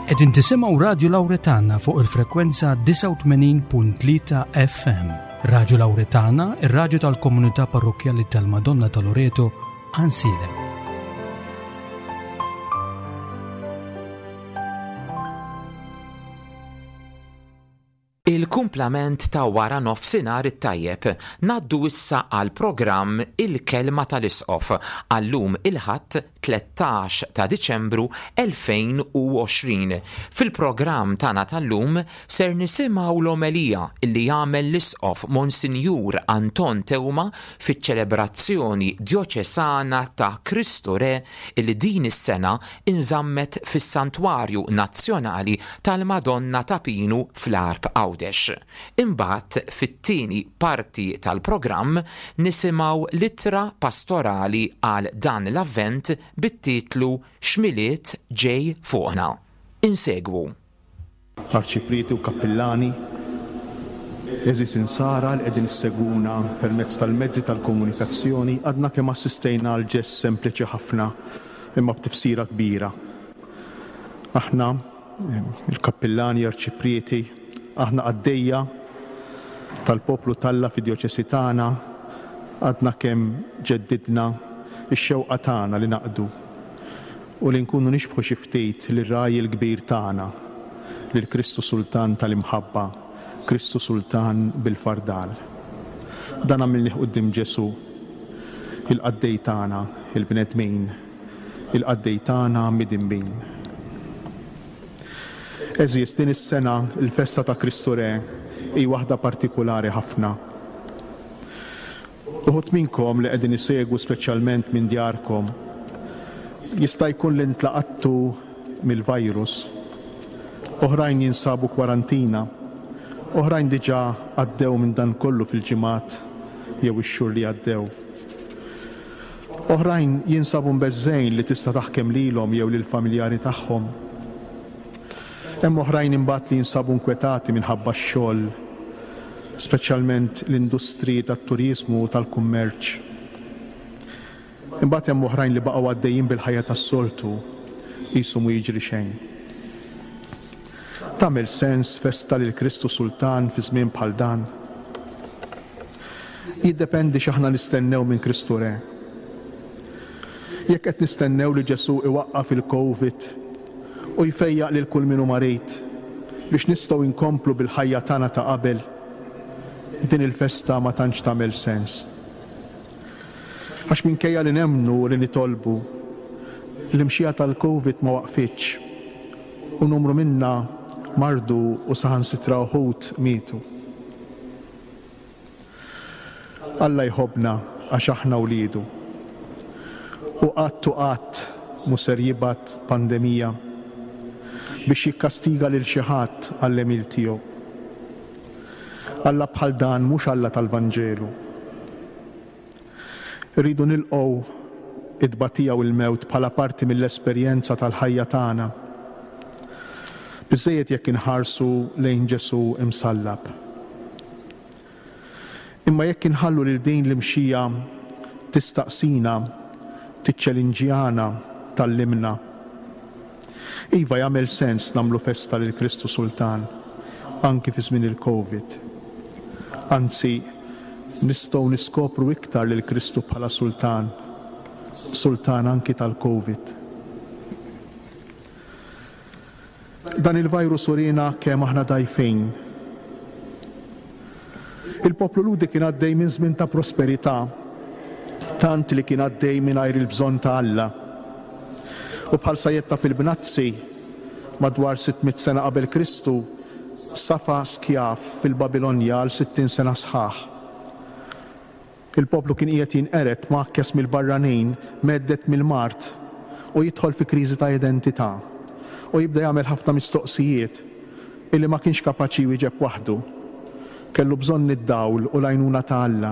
Qegħdin tisimgħu Radju Lawretana fuq il-frekwenza 89.3 FM. Radju Lawretana, ir-radju tal-komunità parrokkjali tal-Madonna ta' Loreto, Ansiedem. Il-kumplament ta' wara nofsinhar it-tajjeb. Ngħaddu issa għall-programm Il-Kelma tal-Isqof għal-lum il-Ħadd 13 ta' Diċembru 2020. Fil-programm tagħna tal-lum ser nisimgħu l-omelija li għamel l-Isqof Monsinjur Anton Teuma fiċ-ċelebrazzjoni djoċesana ta' Kristu Re li din is-sena inżammet fis-Santwarju Nazzjonali tal-Madonna ta' Pinu fl-Għarb Għawdex. Imbagħad fit-tieni parti tal-programm nisimgħu l-ittra pastorali għal dan l-Avvent bit-titlu X'Milied Ġej Fuqna. Insegwu. Arċiprieti u kappillani, għeżież Insara li qegħdin issegwuna permezz tal-mezzi tal-komunikazzjoni, għadna kemm assistejna għal ġest sempliċi ħafna imma b'tifsira kbira. Aħna, il-kappillani, arċiprieti, aħna qaddejja tal-poplu t'Alla fid-djoċesi tagħna, għadna kemm ġeddidna x-xewqa tagħna li naqdu u li nkunu nixbħu xi ftit lir-Ragħaj il-Kbir tagħna, lil Kristu Sultan tal-imħabba, Kristu Sultan bil-fardal. Dan għamilnih quddiem Ġesù, il-qaddej tagħna, il-bnedmin, il-qaddej tagħna midinbin. Għeżież, din is-sena l-festa ta' Kristu Re hi waħda partikulari ħafna. Uħud minnkom li qegħdin isegwu speċjalment minn djarkom, jista' jkun li ntlaqattu mill-virus. Oħrajn jinsabu kwarantina. Oħrajn diġà għaddew minn dan kollu fil-ġimgħat jew ix-xhur li għaddew. Oħrajn jinsabu mbeżżgħin li tista' taħkem lilhom jew lill-familjari tagħhom. Hemm oħrajn imbagħad li jinsabu nkwetati minħabba x-xogħol, speċjalment l-industriji tat-turiżmu u tal-kummerċ. Imbagħad hemm oħrajn li baqgħu għaddejjin bil-ħajja tas-soltu, qisu mhu jiġri xejn. Tagħmel sens festa lil Kristu Sultan fi żmien bħal dan? Jiddependi x'aħna nistennew minn Kristu Re. Jekk qed nistennew li Ġesù iwaqqaf il-Covid u jfejjaq lil kull min hu marid biex nistgħu nkomplu bil-ħajja tagħna ta' qabel, din il-festa ma tantx tagħmel sens. Għax minkejja li nemmnu u li nitolbu, l-imxija tal-Covid ma waqfitx u numru minna mardu u saħansitra uħud mietu. Alla jħobbna għax aħna wliedu. U qatt u qatt mhu ser jibgħat pandemija biex jikkastiga lil xi ħadd għall-għemil tiegħu. Alla bħal dan mhux Alla tal-Vanġelu. Irridu nilqgħu t-tbatija u l-mewt bħala parti mill-esperjenza tal-ħajja tagħna. Biżżejjed jekk inħarsu lejn Ġesù msallab. Imma jekk inħallu lil din l-imxija tistaqsina, tiċċelinġjana, tgħallimna. Iva jagħmel sens nagħmlu festa lil Kristu Sultan, anki fi żmien il-Covid. Anzi, nistgħu niskopru iktar lil Kristu bħala Sultan, Sultan anki tal-Covid. Dan il-virus uriena kemm aħna dgħajfin. Il-poplu Lhudi kien għaddej minn żmien ta' prosperità, tant li kien għaddej mingħajr il-bżonn ta' Alla. U bħal sajjetta fil-bnazzi, madwar 600 sena qabel Kristu, safa skjav fil-Babilonja għal 60 sena sħaħ. Il-poplu kien qiegħed jinqered, mgħakkes mill-barranin, mhedded mill-mard, u jidħol fi kriżi ta' identità. U jibda jagħmel ħafna mistoqsijiet illi ma kienx kapaċi jwieġeb waħdu. Kellu bżonn id-dawl u l-għajnuna ta' Alla.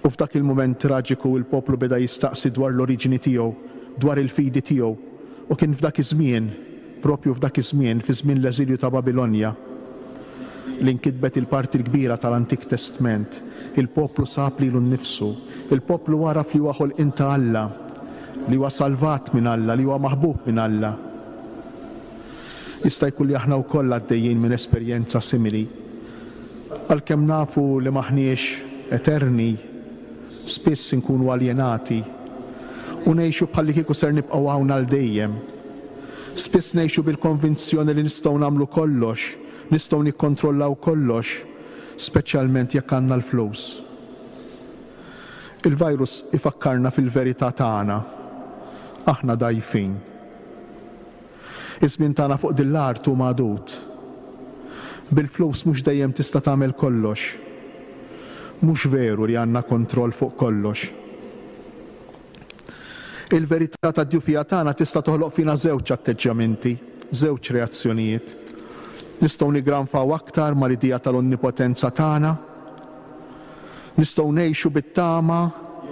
U f'dak il-mument traġiku il-poplu beda jistaqsi dwar l-oriġini tiegħu, dwar il-fidi tiegħu. U kien f'dak iż-żmien, proprju f'dak iż-żmien, fi żmien l-eżilju ta' Babilonja, li nkitbet il-parti l-kbira tal-Antik Testment. Il-poplu sab lilu nnifsu. Il-poplu għaraf li huwa ħolqien ta' Alla, li huwa salvat minn Alla, li huwa maħbub minn Alla. Jista' jkun li aħna wkoll għaddejjin minn esperjenza simili. Għalkemm nafu li m'aħniex eterni, spiss inkunu aljenati u ngħixu bħallikieku ser nibqgħu hawn għal dejjem. Spiss ngħixu bil-konvinzjoni li nistgħu nagħmlu kollox, nistgħu nikkontrollaw kollox, speċjalment jekk għandna l-flus. Il-virus ifakkarna fil-verità tagħna. Aħna dgħajfin. Iż-żmien tagħna fuq din l-art hu magħdud. Bil-flus mhux dejjem tista' tagħmel kollox. Mhux veru li għandna kontroll fuq kollox. Il-verità tad-djufija tagħna tista' toħloq fina żewġ atteġġjamenti, żewġ reazzjonijiet. Nistgħu niggranfaw aktar mal-idea tal-onnipotenza tagħna. Nistgħu ngħixu bit-tama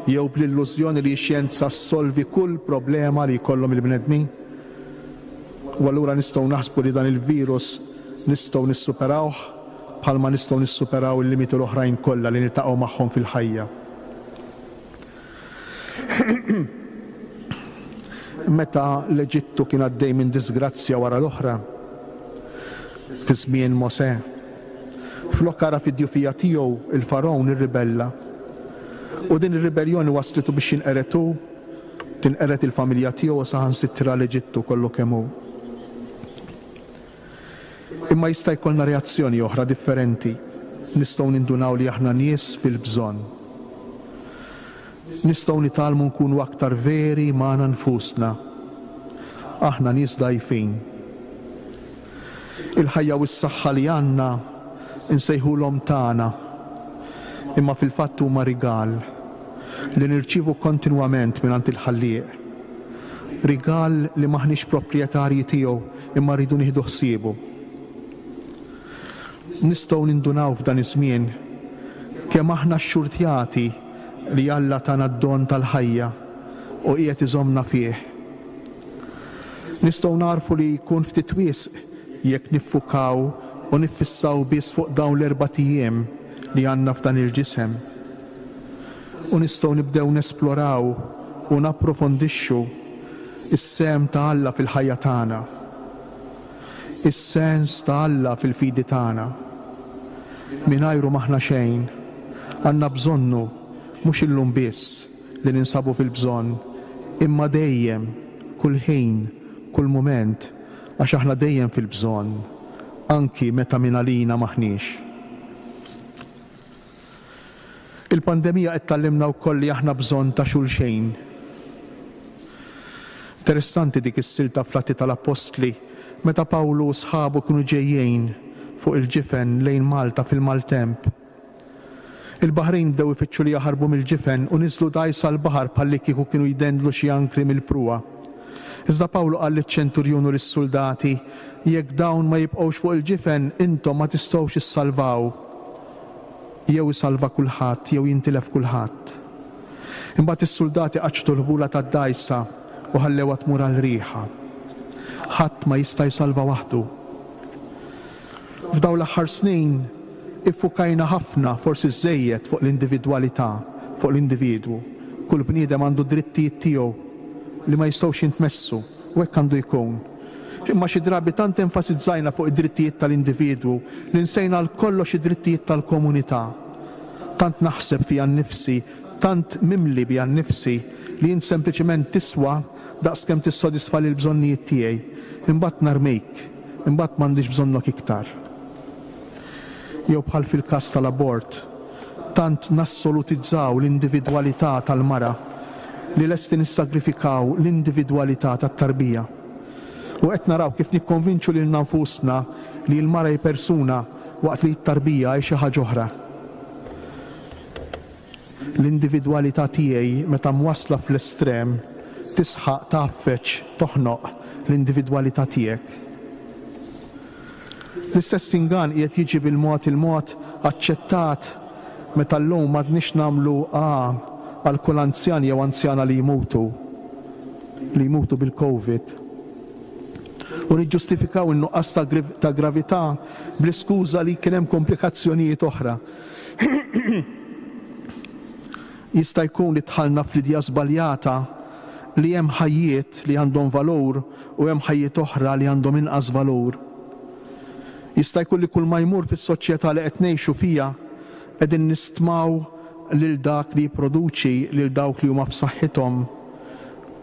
jew bl-illużjoni li x-xjenza ssolvi kull problema li jkollhom il-bnedmin. U allura nistgħu naħsbu li dan il-virus nistgħu nissuperawh bħalma nistgħu nissuperaw il-limiti l-oħrajn kollha li niltaqgħu magħhom fil-ħajja. Meta l-Eġittu kien għaddej minn diżgrazzja wara l-oħra, fi żmien Mosè, flok għaraf id-djufija tiegħu, il-Fargħun irribella. U din ir-ribelljoni wasslitu biex jinqered hu, tinqered il-familja tiegħu u saħansitra l-Eġittu kollu kemm hu. Imma jista' jkollna reazzjoni oħra differenti. Nistgħu nindunaw li aħna nies fil-bżonn. Nistgħu nitgħallmu nkunu aktar veri magħna nfusna. Aħna nies dgħajfin. Il-ħajja u s-saħħa li għandna nsejħulhom tagħna, imma fil-fatt huma rigal li nirċievu kontinwament mingħand il-Ħallieq. Rigal li m'aħniex proprjetarji tiegħu imma rridu nieħdu ħsiebu. Nistgħu nindunaw f'dan iż-żmien kemm aħna xxurtjati li Alla tana d-don tal-ħajja u qiegħed iżommna fih. Nistgħu nagħrfu li jkun ftit wisq jekk niffukaw u niffissaw biss fuq dawn l-erbat ijiem li għandna f'dan il-ġisem. U nistgħu nibdew nesploraw u napprofondixxu s-sehem ta' Alla fil-ħajja tagħna, is-sens ta' Alla fil-fidi tagħna. Mingħajru m'aħna xejn. Għandna bżonnu, mhux illum biss li ninsabu fil-bżonn, imma dejjem, kull ħin, kull mument, għax aħna dejjem fil-bżonn, anki meta mingħalina m'aħniex. Il-pandemija qed tgħallimna wkoll li aħna bżonn ta' xulxejn. Interessanti dik is-silta fl-Atti tal-Appostli meta Pawlu u sħabu kienu ġejjin fuq il-ġifen lejn Malta fil-maltemp. Il-baħrin bdew ifittxu li jaħarbu mill-ġifen u niżlu dgħajsa l-baħar bħallikieku kienu jdendlu xi ankri mill-pruwa. Iżda Pawlu qal liċ-ċenturjun u lis-suldati, Jekk dawn ma jibqgħux fuq il-ġifen, intom ma tistgħux issalvaw. Jew isalva kulħadd jew jintilef kulħadd. Imbagħad is-suldati qaċċtu l-ħbula tad-dgħajsa u ħallewha tmur għal riħha. Ħadd ma jista' jsalva waħdu. F'dawn l-aħħar snin iffukajna ħafna, forsi żżejjed, fuq l-individwalità, fuq l-individwu. Kull bniedem għandu d-drittijiet tiegħu li ma jistgħux jintmessu. U hekk għandu jkun. Imma xi drabi tant enfasizzajna fuq id-drittijiet tal-individwu li nsejna għal kollox id-drittijiet tal-komunità. Tant naħseb fija nnifsi, tant mimli bija nnifsi li int sempliċement tiswa daqskemm tissodisfali l-bżonnijiet tiegħi. Imbagħad narmik. Imbagħad m'għandix bżonnok iktar. Jew bħal fil-każ tal-abort, tant nassolutizzaw l-individwalità tal-mara li lesti nissagrifikaw l-individwalità tat-tarbija. U qed naraw kif nikkonvinċu lilna nfusna li l-mara hi persuna waqt li t-tarbija hi xi ħaġa oħra. L-individwalità tiegħi meta mwassla fl-estrem tisħaq tgħaffeġ, toħnoq, l-individwalità tiegħek. L-istess ingann qiegħed jiġi bil-mod il-mod aċċettat meta llum m'għadniex nagħmlu A għal kull anzjan jew anzjana li jmutu, li jmutu bil-Covid. U niġġustifikaw in-nuqqas ta' gravità bl-iskuża li kien hemm komplikazzjonijiet oħra. Jista' jkun li dħalna fl-idea żbaljata. li hemm ħajjiet li għandhom valur u hemm ħajjiet oħra li għandhom inqas valur. Jista' jkun li kulma jmur fis-soċjetà li qed ngħixu fiha qegħdin nistmaw lil dak li jipproduċi lil dawk li huma f'saħħithom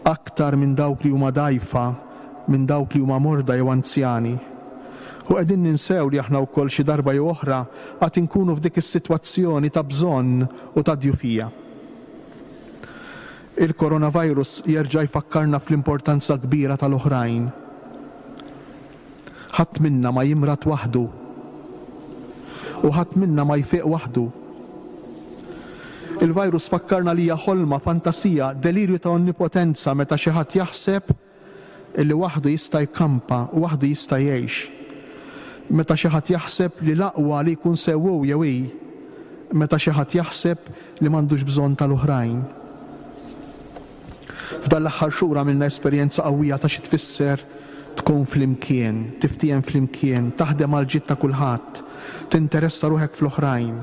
aktar minn dawk li huma dgħajfa, minn dawk li huma morda jew anzjani. U qegħdin ninsew li aħna wkoll xi darba jew oħra għad inkunu f'dik is-sitwazzjoni ta' bżonn u ta' djufija. Il-coronavirus jerġa' jfakkarna fl-importanza kbira tal-oħrajn. Ħadd minna ma jimrad waħdu. U ħadd minna ma jfiq waħdu. Il-virus fakkarna li hija ħolma, fantasija, delirju ta' onnipotenza meta xi ħadd jaħseb illi waħdu jista' jkampa, waħdu jista' jgħix. Meta xi ħadd jaħseb li l-aqwa li jkun sew hu jew hi. Meta xi ħadd jaħseb li m'għandux bżonn tal-oħrajn. F'dan l-aħħar xhur għamilna esperjenza qawwija ta' xi tfisser tkun flimkien, tiftiehem flimkien, taħdem għall-ġid ta' kulħadd, tinteressa ruħek fl-oħrajn.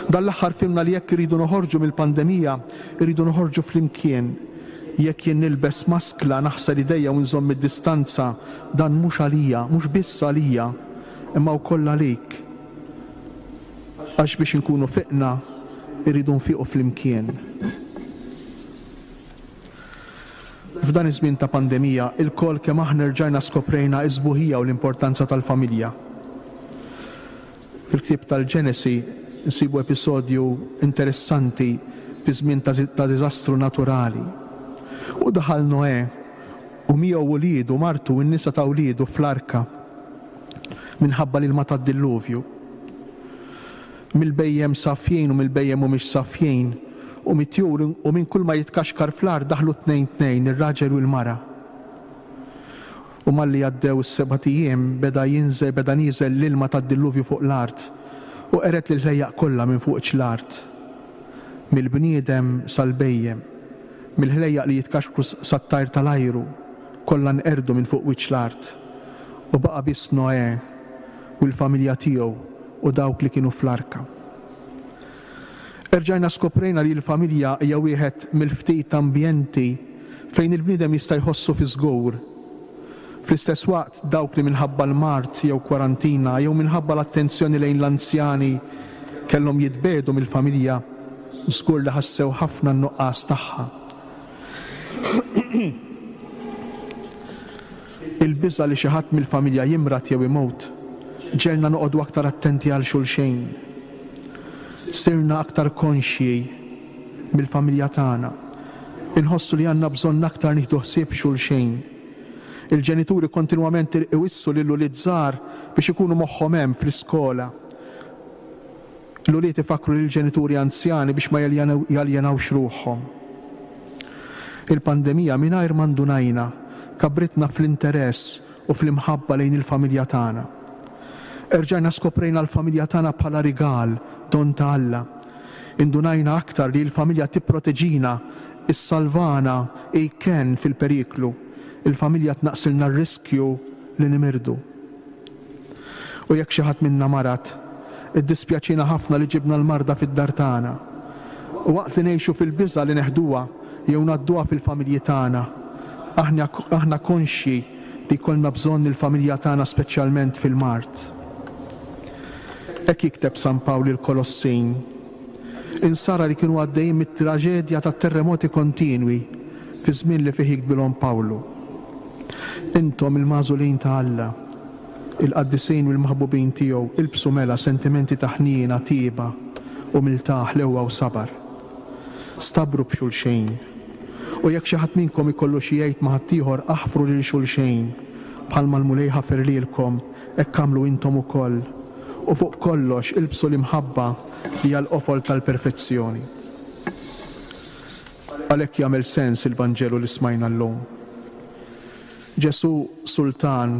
Dan l-aħħar fhimna li jekk irridu noħorġu mill-pandemija, irridu noħorġu flimkien. Jekk jien nilbes maskla, naħsel idejja u nżomm id-distanza, dan mhux għalija, mhux biss għalija, imma wkoll għalik. Għax biex inkunu fiqna, irridu nfiqu flimkien. F'dan iż-żmien ta' pandemija, ilkoll kemm aħna rġajna skoprejna s-sbuħija u l-importanza tal-familja. Fil-ktieb tal-Ġenesi nsibu episodju interessanti fi żmien ta' diżastru naturali. U daħal Noè u miegħu uliedu, martu u n-nisa ta' uliedu fl-arka minħabba l-ilma tad-dilluvju. Mill-bhejjem safjin u mill-bhejjem mhumiex safjin, u mit-tjur u minn kull ma jitkaxkar fl-art daħlu tnejn tnejn, ir-raġel u l-mara. U malli għaddew is-sebat ijiem beda jinżel beda nieżel l-ilma tad-dilluvju fuq l-art, u qered lill-ħlejjaq kollha minn fuq wiċċ l-art, mill-bniedem sal-bhejjem, mill-ħlejjaq li jitkaxkru sat-tajr tal-ajru, kollha nqerdu minn fuq wiċċ l-art. U baqa' biss Noè u l-familja tiegħu u dawk li kienu fl-arka. Erġajna skoprejna li l-familja hija wieħed mill-ftit ambjenti fejn il-bniedem jista' jħossu fiż-żgur. Fl-istess waqt, dawk li minħabba l-mard jew kwarantina jew minħabba l-attenzjoni lejn l-anzjani kellhom jitbiegħdu mill-familja, żgur li ħassew ħafna n-nuqqas tagħha. Il-biża' li xi ħadd mill-familja jimrad jew imut ġegħelna noqogħdu aktar attenti għal xulxin. Sirna aktar konxji mill-familja tagħna. Inħossu li għandna bżonn aktar nieħdu ħsieb xulxin. Il-ġenituri kontinwament iwissu lill-ulied żgħar biex ikunu moħħhom hemm fl-iskola. L-ulied ifakkru lill-ġenituri anzjani biex ma jaljenawx ruħhom. Il-pandemija, mingħajr ma ndunajna, kabbritna fl-interess u fl-imħabba lejn il-familja tagħna. Erġajna skoprejna l-familja tagħna bħala rigal, don ta' Alla. Indunajna aktar li l-familja tipproteġina, issalvana, hi kenn fil-periklu. Il-familja tnaqqsilna r-riskju li nimirdu. U jekk xi ħadd minna marad, iddispjaċiena ħafna li ġibna l-marda fid-dar tagħna. U waqt li ngħixu fil-biża' li neħduha jew ngħadduha fil-familji tagħna, aħna aħna konxji li jkollna bżonn il-familja tagħna speċjalment fil-mard. Hekk jikteb San Pawl lill-Kolossin, insara li kienu għaddejjin mit-traġedja tat-terremoti kontinwi fiż-żmien li fih jiktbilhom Pawlu. Intom il-magħżulin ta' Alla, il-qaddisin u l-maħbubin tiegħu, ilbsu mela sentimenti ta' ħniena, tjieba, umiltà, ħlewwa u sabar. Stabru b'xulxejn. U jekk xi ħadd minnkom ikollu xi jgħid ma' ħaddieħor, aħfru lil xulxejn, bħalma l-Mulej ħafer lilkom, hekk agħmlu intom ukoll. U fuq kollox, ilbsu l-imħabba li hija l-qofol tal-perfezzjoni. Għalhekk jagħmel sens il-Vanġelu li smajna llum. Ġesù, Sultan,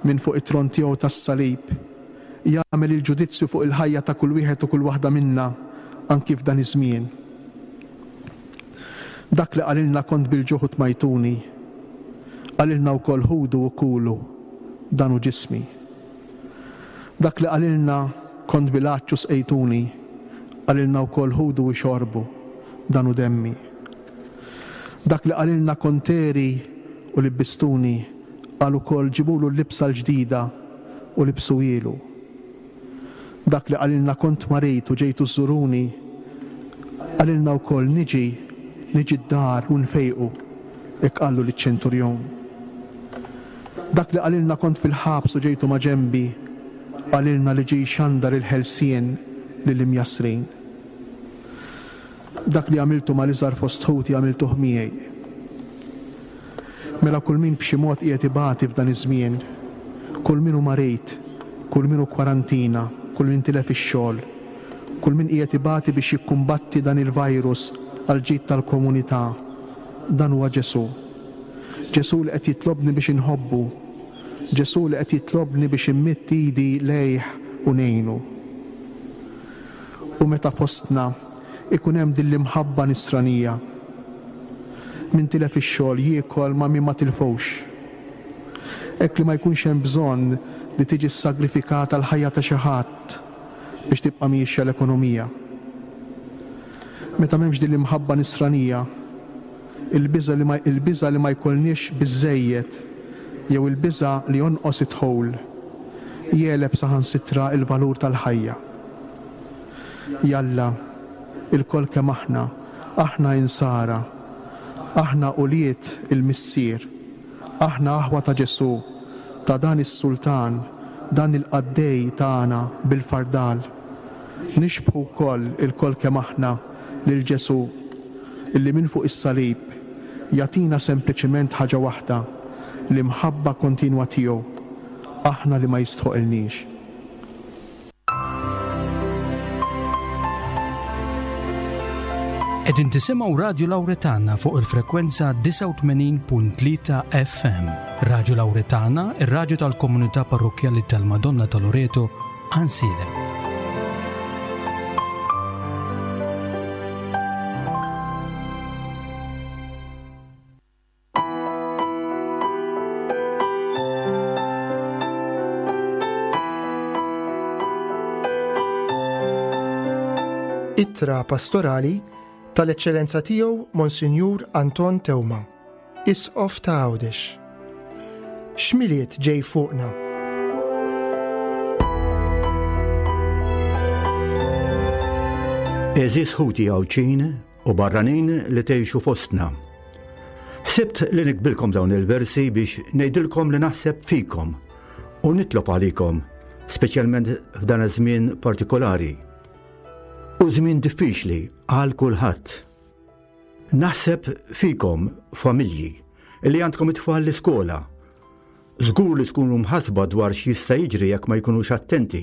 minn fuq it-tron tiegħu tas-salib, jagħmel il-ġudizzju fuq il-ħajja ta' kull wieħed u kull waħda minna anki f'dan iż-żmien. Dak li qalilna kont bil-ġuħ u tmajtuni, qalilna wkoll ħudu u kulu, dan hu ġismi. Dak li qalilna kont bil-għatx u sqejtuni, qalilna wkoll ħudu u xorbu, dan hu demmi. Dak li qalilna kont għeri u libbistuni, qal ukoll ġibulu l-libsa l-ġdida u libsuhielu. Dak li qalilna kont marid u ġejtu żżuruni, qalilna wkoll niġi, niġi d-dar u nfejqu, hekk qallu liċ-ċenturjon. Dak li qalilna kont fil-ħabs u ġejtu maġenbi, qalilna li ġie jxandar il-ħelsien lill-imjassrin. Dak li għamiltu mal-iżgħar fost ħuti għamiltuh miegħi. Mela kull min b'xi mod qiegħed ibati f'dan iż-żmien, kull min hu marid, kull min hu kwarantina, kull min tilef ix-xogħol, kull min qiegħed ibati biex jikkumbatti dan il-virus għall-ġid tal-komunità, dan huwa Ġesù. Ġesù li qed jitlobni biex inħobbu. Ġesù li qed jitlobni biex immidd idi lejh u ngħinu. U meta fostna ikun hemm din l-imħabba nisranija. Min tilef ix-xogħol jiekol ma' min ma tilfux. Hekk li ma jkunx hemm bżonn li tiġi ssagrifikata l-ħajja ta' xi ħadd biex tibqa' miexja l-ekonomija. Meta m'hemmx din l-imħabba nisranija, il-biża' li ma il-biża' li ma jkollniex biżżejjed jew il-biża' li jonqos id-dħul jegħleb saħansitra l-valur tal-ħajja. Jalla, ilkoll kemm aħna, aħna Insara, aħna ulied il-Missier, aħna aħwa ta' Ġesù, ta' dan is-Sultan, dan il-Qaddej tagħna bil-fardal. Nixbħu wkoll, ilkoll kemm aħna, lil Ġesù, illi minn fuq is-salib jagħtina sempliċiment ħaġa waħda, l-imħabba kontinwa tiegħu, aħna li ma jistħoqilniex. Qegħdin tisimgħu Radju Lawretana fuq il-frekwenza 89.3 FM. Radju Lawretana, ir-radju tal-komunità parrokkjali tal-Madonna ta' Loreto, Għansielem. Ittra Pastorali tal-Eċċellenza Tiegħu Monsinjur Anton Teuma, Isqof ta' Għawdex. X'Milied ġej fuqna? Għeżież ħuti Għawdxin u barranin li tgħixu fostna. Ħsibt li nikbilkom dawn il-versi biex ngħidilkom li naħseb fikom u nitlob għalikom, speċjalment f'dan iż-żmien partikolari. U żmien diffiċli għal kulħadd. Naħseb fikom familji li għandkom it-tfal l-iskola. Żgur li tkunu mħasba dwar x'jista' jiġri jekk ma jkunux attenti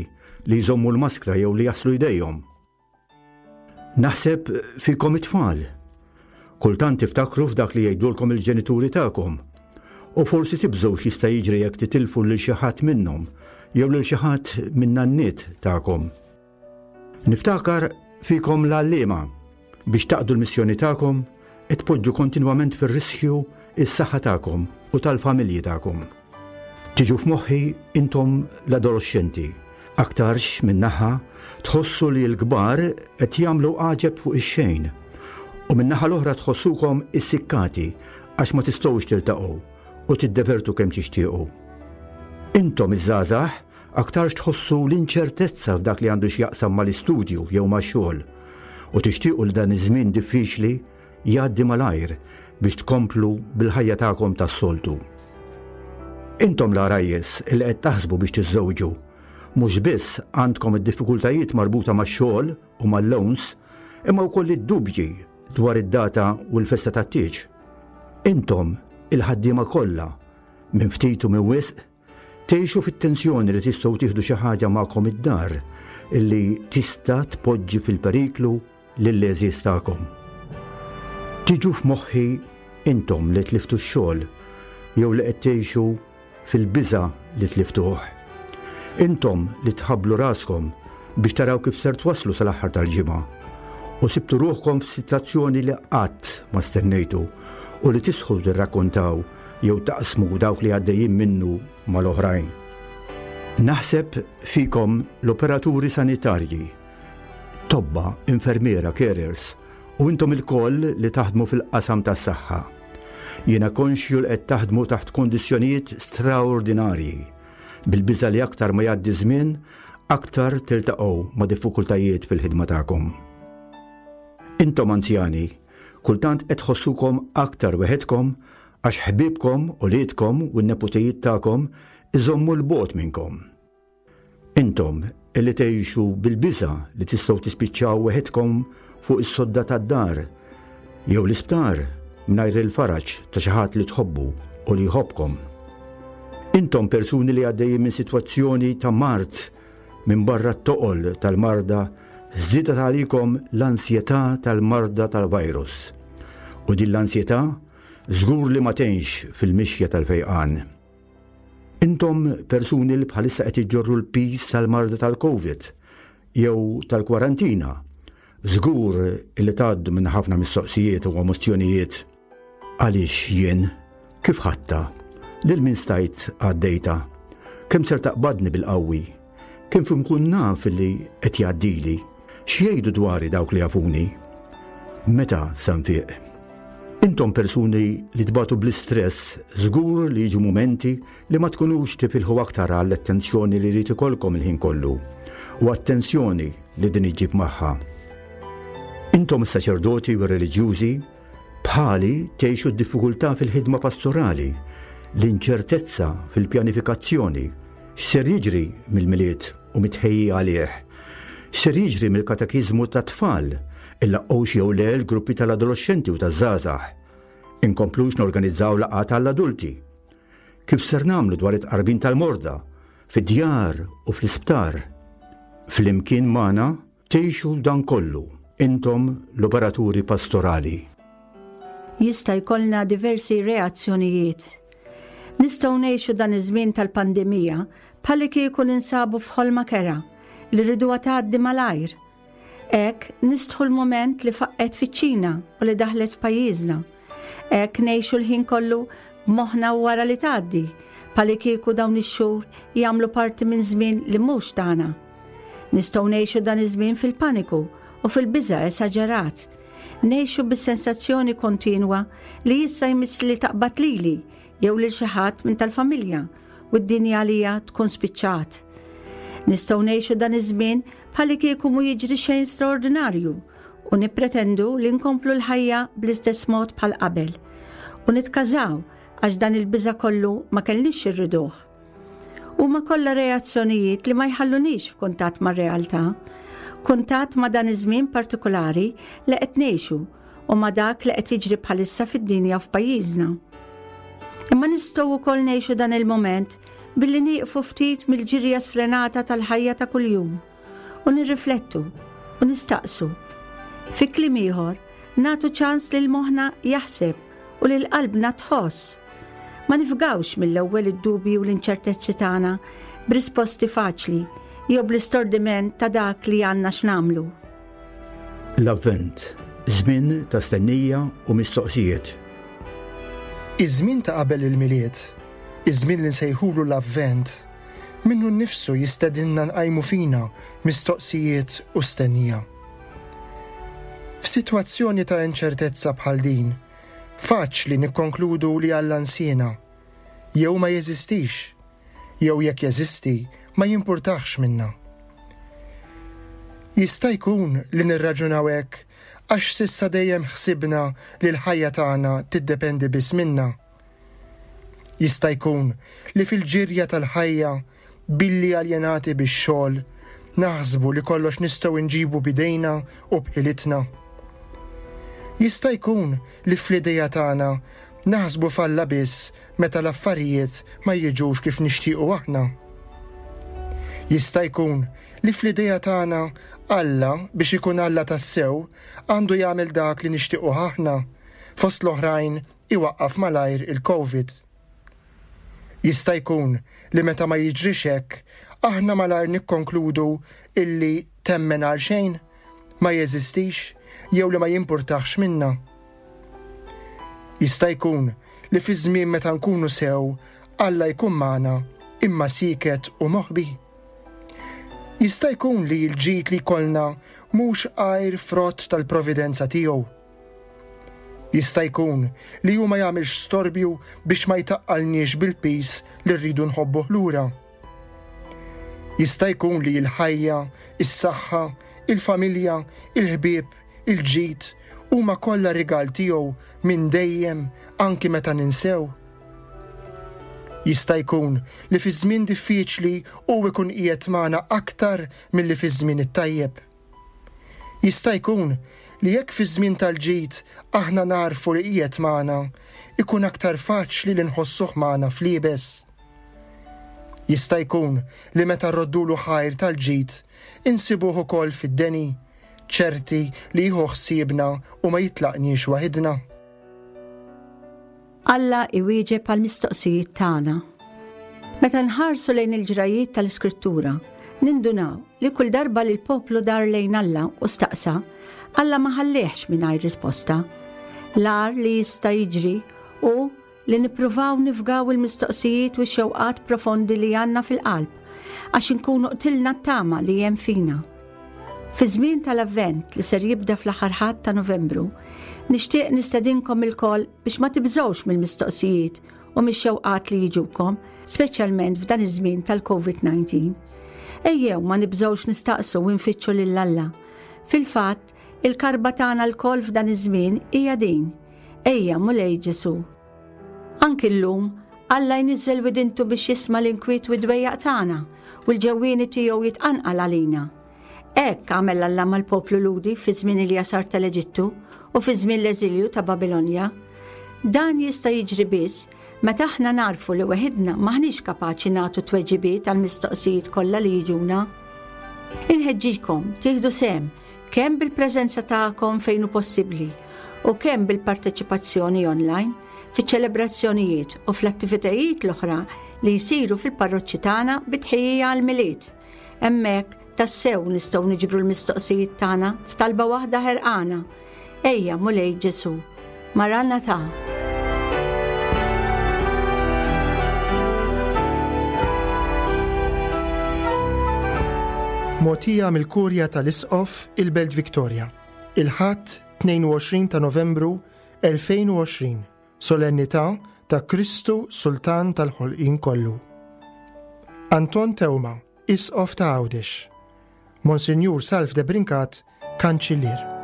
li jżommu l-maskra jew li jaslu jdejhom. Naħseb fikom it-tfal. Kultant tiftakru f'dak li jgħidulkom il-ġenituri tagħkom. U forsi tibżgħu x'jista' jiġri jekk titilfu lil xi ħadd minnhom jew lil xi ħadd min-nanniet tagħkom. Niftakar fikom l-għalliema biex taqdu l-missjoni tagħkom qed tpoġġu kontinwament fir-riskju s-saħħa tagħkom u tal-familji tagħkom. Tiġu f'moħħi intom l-adoloxxenti. Aktarx, minn naħa, tħossu li l-kbar qed jagħmlu għaġeb fuq ix-xejn u min-naħa l-oħra tħossukom issikkati għax ma tistgħux tiltaqgħu u tiddevertu kemm tixtiequ. Intom iż-żgħażagħ aktarx tħossu l-inċertezza f'dak li għandu x'jaqsam mal-istudju jew max-xogħol u tixtiequ li dan iż-żmien diffiċli jgħaddi malajr biex tkomplu bil-ħajja tagħkom tas-soltu. Intom l-għarajjes li qed taħsbu biex tiżżewġu, mhux biss għandkom id-diffikultajiet marbuta max-xogħol u mal-loans, imma wkoll id-dubji dwar id-data u l-festa tat-tieġ. Intom, il-ħaddiema kollha, minn ftit u minn wisq, Tgħixu fit-tensjoni li tistgħu tieħdu xi ħaġa magħkom id-dar illi tista' tpoġġi fil-periklu lill-għeżież tagħkom. Tiġu f'moħħi intom li tliftu x-xogħol jew li qed tgħixu fil-biża' li tliftuh. Intom li tħabblu raskom biex taraw kif ser twasslu sal-aħħar tal-ġimgħa u sibtu ruħkom f'sitwazzjoni li qatt ma stennejtu u li tistħu tirrakkontaw jew taqsmu dawk li għaddejjin minnu mal-oħrajn. Naħseb fikom l-operaturi sanitarji, tobba, infermiera, carers. U intom ilkoll li taħdmu fil-qasam tas-saħħa. Jiena konxju li qed taħdmu taħt kondizzjonijiet straordinarji, bil-biża' li aktar ma jgħaddi żmien, aktar tiltaqgħu ma' diffikultajiet fil-ħidma tagħkom. Intom anzjani, kultant qed tħossukom aktar weħidkom għax ħbiebkom, uliedkom u n-neputijiet tagħkom iżommu 'l bogħod minnkom. Intom li tgħixu bil-biża' li tistgħu tispiċċaw weħidkom fuq is-sodda tad-dar jew l-isptar mingħajr il-faraġ ta' xi ħadd li tħobbu u li jħobbkom. Intom persuni li għaddejjin minn sitwazzjoni ta' mard minbarra t-toqol tal-marda żdiedet għalikom l-ansjetà tal-marda tal-virus. U din l-ansjetà żgur li ma tgħinx fil-mixja tal-fejqan. Intom persuni li bħalissa qed iġġorru l-piż tal-marda tal-Covid jew tal-kwarantina, żgur li tgħaddu minn ħafna mistoqsijiet u emozzjonijiet. Għaliex jien? Kif ħadtha? Lil min stajt għaddejtha? Kemm ser taqbadni bil-qawwi? Kif inkun naf li qed jgħaddili? X'jgħidu dwari dawk li jafuni? Meta se nfiq? Intom persuni li tbatu bl-istress żgur li jiġu mumenti li ma tkunux tifilħu aktar għall-attenzjoni li jrid ikollkom il-ħin kollu u għat-tensjoni li din iġġib magħha. Intom is-saċerdoti u r-reliġjużi bħali tgħixu d-diffikultà fil-ħidma pastorali, l-inċertezza fil-pjanifikazzjoni, x'ser jiġri mill-Milied u mit-tħejjija għalih, x'ser jiġri mill-katekiżmu tat-tfal, illaqgħux jew le l-gruppi tal-adoloxxenti u taż-żgħażagħ, inkomplux norganizzaw laqgħat għall-adulti. Kif ser nagħmlu dwar it-tqarbin tal-morda, fid-djar u fl-isptar? Flimkien magħna Tgħixu dan kollu, intom l-operaturi pastorali. Jista' jkollna diversi reazzjonijiet. Nistgħu ngħixu dan iż-żmien tal-pandemija bħallikieku ninsabu f'ħolma kerha li rriduha tgħaddi malajr. Hekk nistħu l-mument li faqqgħet fiċ-Ċina u li daħlet f'pajjiżna. Hekk ngħixu l-ħin kollu b'moħħna wara li tgħaddi, bħallikieku dawn ix-xhur jagħmlu parti minn żmien li mhux tagħna. Nistgħu ngħixu dan iż-żmien fil-paniku u fil-biża' esaġerat. Ngħixu bis-sensazzjoni kontinwa li issa jmiss li taqbad lili jew lil xi ħadd minn tal-familja u d-dinja għalija tkun spiċċat. Nistgħu ngħixu dan iż-żmien bħallikieku mhu jiġri xejn straordinarju u nippretendu li nkomplu l-ħajja bl-istess mod bħal qabel u nitkażaw għax dan il-biża' kollu ma kellniex irriduh. Huma kollha reazzjonijiet li ma jħallunix f'kuntatt mar-realtà, kuntatt ma' dan iż-żmien partikulari li qed ngħixu u ma' dak li qed jiġri bħalissa fid-dinja u f'pajjiżna. Imma nistgħu wkoll ngħixu dan il-mument billi nieqfu ftit mill-ġirja sfrenata tal-ħajja ta' kuljum u nirriflettu u nistaqsu. Fi kliem ieħor, nagħtu ċans lil moħħna jaħseb u lil qalbna tħoss. Ma nifgawx mill-ewwel id-dubji u l-inċertezzi tagħna b'risposti faċli jew bl-istordiment ta' dak li għandna x'nagħmlu. L-Avvent, żmien ta' stennija u mistoqsijiet. Iż-żmien ta' qabel il-Milied, iż-żmien li nsejħulu l-Avvent, minnu nnifsu jistedinna nqajmu fina mistoqsijiet u stennija. F'sitwazzjoni ta' inċertezza bħal din, faċli nikkonkludu li Alla nsiena, jew ma jeżistix, jew jekk jeżisti ma jimpurtahx minna. Jista' jkun li nirraġunaw hekk għax s'issa dejjem ħsibna li l-ħajja tagħna tiddependi biss minna. Jista' jkun li fil-ġirja tal-ħajja, billi aljenati bix-xogħol, naħsbu li kollox nistgħu nġibu b'idejna u b'ħilitna. Jista' jkun li fl-idea tagħna naħsbu f'Alla biss meta l-affarijiet ma jiġux kif nixtiequ aħna. Jista' jkun li fl-idea tagħna Alla, biex ikun Alla tassew, għandu jagħmel dak li nixtiequh aħna, fost l-oħrajn iwaqqaf malajr il-Covid. Jista' jkun li meta ma jiġrix hekk, aħna malajr nikkonkludu illi temmen għal xejn, ma jeżistix jew li ma jimpurtahx minna. Jista' jkun li fi żmien meta nkunu sew, Alla jkun magħna imma sieket u moħbi. Jista' jkun li l-ġid li jkollna mhux għajr frott tal-providenza tiegħu. Jista' jkun li hu ma jagħmilx storbju biex ma jtaqqalniex bil-piż li rridu nħobbuh lura. Jista' jkun li l-ħajja, is-saħħa, il-familja, il-ħbieb, il-ġid huma kollha rigal tiegħu minn dejjem anki meta ninsew. Jista' jkun li fi żmien diffiċli hu jkun qiegħed magħna aktar milli fiż-żmien it-tajjeb. Jista' jkun li jekk fiż-żmien tal-ġid aħna nagħrfu li qiegħed magħna, ikun aktar faċli li nħossuh magħna fl-iebes. Jista' jkun li meta rroddulu ħajr tal-ġid, insibuh ukoll fid-deni, ċerti li jieħu ħsiebna u ma jitlaqniex waħidna. Alla iwieġeb għall-mistoqsijiet tagħna. Meta nħarsu lejn il-ġrajiet tal-Iskrittura, nindunaw li kull darba li l-poplu dar lejn Alla u staqsa, Alla ma ħallihx mingħajr risposta. L-agħar li jista' jiġri hu li nippruvaw nifgaw il-mistoqsijiet u x-xewqat profondi li għandna fil-qalb għax inkunu qtilna t-tama li hemm fina. Fi żmien tal-Avvent li ser jibda fl-aħħar Ħadd ta' Novembru, nixtieq nistedinkom ilkoll biex ma tibżgħux mill-mistoqsijiet u mix-xewqat li jiġukom, speċjalment f'dan iż-żmien tal-COVID-19. Ejjew ma nibżgħux nistaqsu u nfittxu lil Alla. Fil-fatt, il-karba tagħna lkoll f'dan iż-żmien hija din: Ejja, Mulej Ġesù. Anki llum, Alla jniżżel widintu biex jisma' l-inkwiet u d-dwejjaq tagħna u l-ġewwieni tiegħu jitqanqal għalina. Hekk għamel Alla mal-poplu Lhudi fi żmien il-jasar tal-Eġittu u fi żmien l-eżilju ta' Babilonja. Dan jista' jiġri biss meta aħna nagħrfu li weħidna m'aħniex kapaċi nagħtu tweġibiet għall-mistoqsijiet kollha li jiġuna. Inħeġġikom tieħdu sehem kemm bil-preżenza tagħkom fejn hu possibbli u kemm bil-parteċipazzjoni online fiċ-ċelebrazzjonijiet u fl-attivitajiet l-oħra li jsiru fil-parroċċi tagħna bi tħejjija għall-Milied. Hemmhekk tassew nistgħu niġbru l-mistoqsijiet tagħna f'talba waħda ħerqana. Ejja, Mulej Ġesù, Maranatha. Mogħtija mill-Kurja tal-Isqof il-Belt Victoria, il-Ħadd 22 ta' Novembru 2020, Solennità ta' Kristu Sultan tal-Ħolqien Kollu. Anton Teuma, Isqof ta' Għawdex. Monsinjur Salv Debrincat, Kanċillier.